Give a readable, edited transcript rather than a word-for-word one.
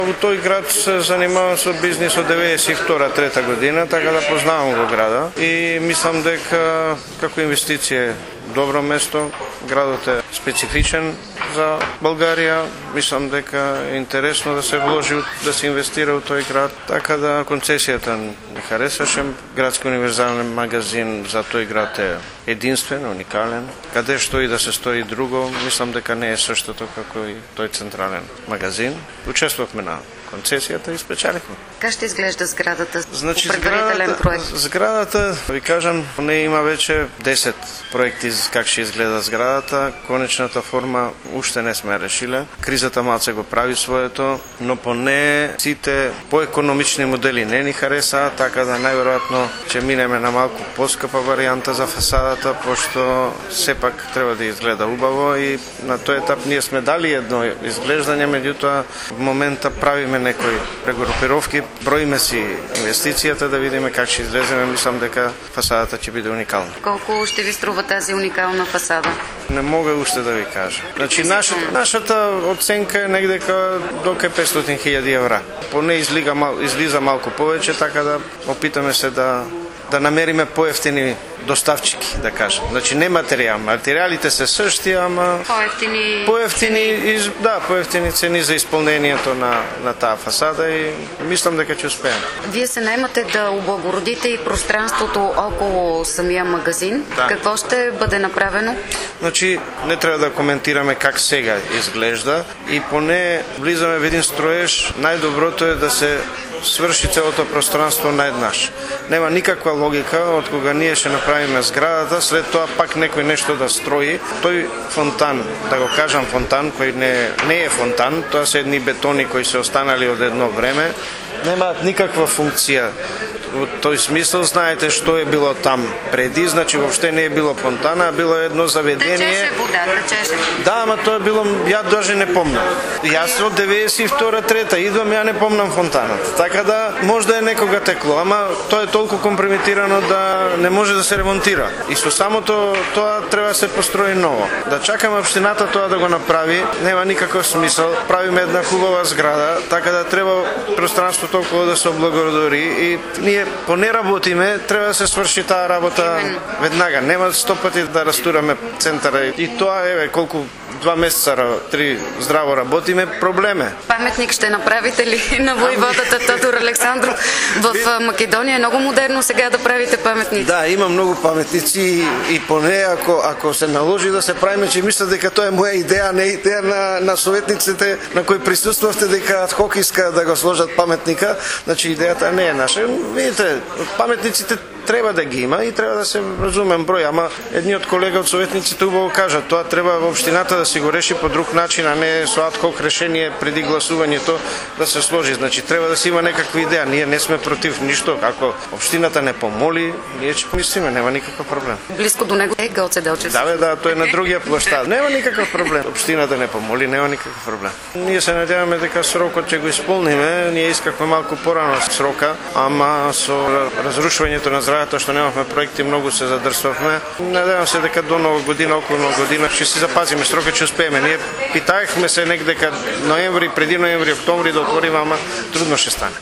Во тој град се занимавам со бизнис од 92-3 година, така да познавам го града и мислам дека како инвестиција е добро место. Градот е специфичен за Българија. Мислам дека е интересно да се вложи, да се инвестира во тој град. Така да концесијата не харесаше. Градски универзален магазин за тој град е единствен, уникален. Каде што и да се стои друго, мислам дека не е суштото како и тој централен магазин. Учествувавме на концесијата и спечалихме. Как ще изглежда сградата? Значи, предварителен проект? Зградата, ви кажам, не има веќе 10 проекти как ќе изгледа зградата. Конечната форма уште не сме решиле. Кризата малце го прави своето, но поне сите поекономични модели не ни харесаат, така да најверојатно ќе минеме на малку поскапа варијанта за фасадата, пошто сепак треба да изгледа убаво и на тој етап ние сме дали едно изглеждање, меѓутоа в момента правиме некои прегрупировки, броиме си инвестицијата да видиме как ќе излеземе. Мислам дека фасадата ќе биде уникална. Колку ще ви струва тази уникална фасада? Не мога уште да ви кажа. Значи нашата оценка е негде до 500.000 евра. Поне излиза малку повеќе, така да опитаме се да намериме поевтини доставчики, да кажем. Значи не материјал, материјалите се същи, ама поевтини цени за исполнението на таа фасада и мислам дека ќе успееме. Вие се наемате да облагородите и пространството около самия магазин. Да. Какво ще бъде направено? Значи не треба да коментираме как сега изглежда и поне влизаме во еден строеж, најдоброто е да се сврши целото пространство наеднаш. Нема никаква логика од кога ние ќе направиме зградата, след тоа пак некој нешто да строи. Тој фонтан, да го кажам фонтан, кој не е фонтан, тоа се едни бетони кои се останали од едно време, немаат никаква функција. Во тој смисол знаете што е било там преди, значи воопште не е било фонтана, а било едно заведение. Течеше вода, течеше. Да, ама тоа е било, ја даже не помнам. Јас од 92-3 идвам, ја не помнам фонтаната. Така да може да е некога текло, ама тоа е толку компрометирано да не може да се ремонтира. И со самото тоа треба да се построи ново. Да чакаме општината тоа да го направи, нема никаков смисол. Правиме една хубава зграда, така да треба пространството околу да се облагородори и ние поне работиме, треба да се сврши таа работа веднага. Нема 100 пати да растураме центара и тоа еве колку 2 месеца, 3 здраво работиме, проблеме. Паметник ще направите ли на војводата Тодор Александров? В Македонија е много модерно сега да правите паметници. Да, има многу паметници и поне ако се наложи да се правиме, че мисля дека тоа е моја идеја, не идеја на советниците на кои присуствавте дека адхок иска да го сложат паметника, значи идејата не е наша. Видите, паметниците треба да ги има и треба да се разумен број, ама едниот колега од советниците убаво кажа, тоа треба во општината да си го реши по друг начин, а не со адхок решение преди гласувањето да се сложи. Значи треба да се има некаква идеја. Ние не сме против ништо. Ако општината не помоли, ние ќе помислиме, нема никаков проблем. Близко до него е Гоце Делчев. Да, тој е на другија площад. Нема никаков проблем. Општината не помоли, нема никаков проблем. Ние се надеваме дека срокот ќе го исполниме. Ние искавме малку порано срока, ама со разрушувањето на зградата што немавме проекти, многу се задрсвавме. Надевам се дека до нова година, околу нова година ќе си запазиме срокот, ќе успееме. Ние питаевме се негде ноември, преди ноември, октомври да отвориме, ама трудно ќе стане.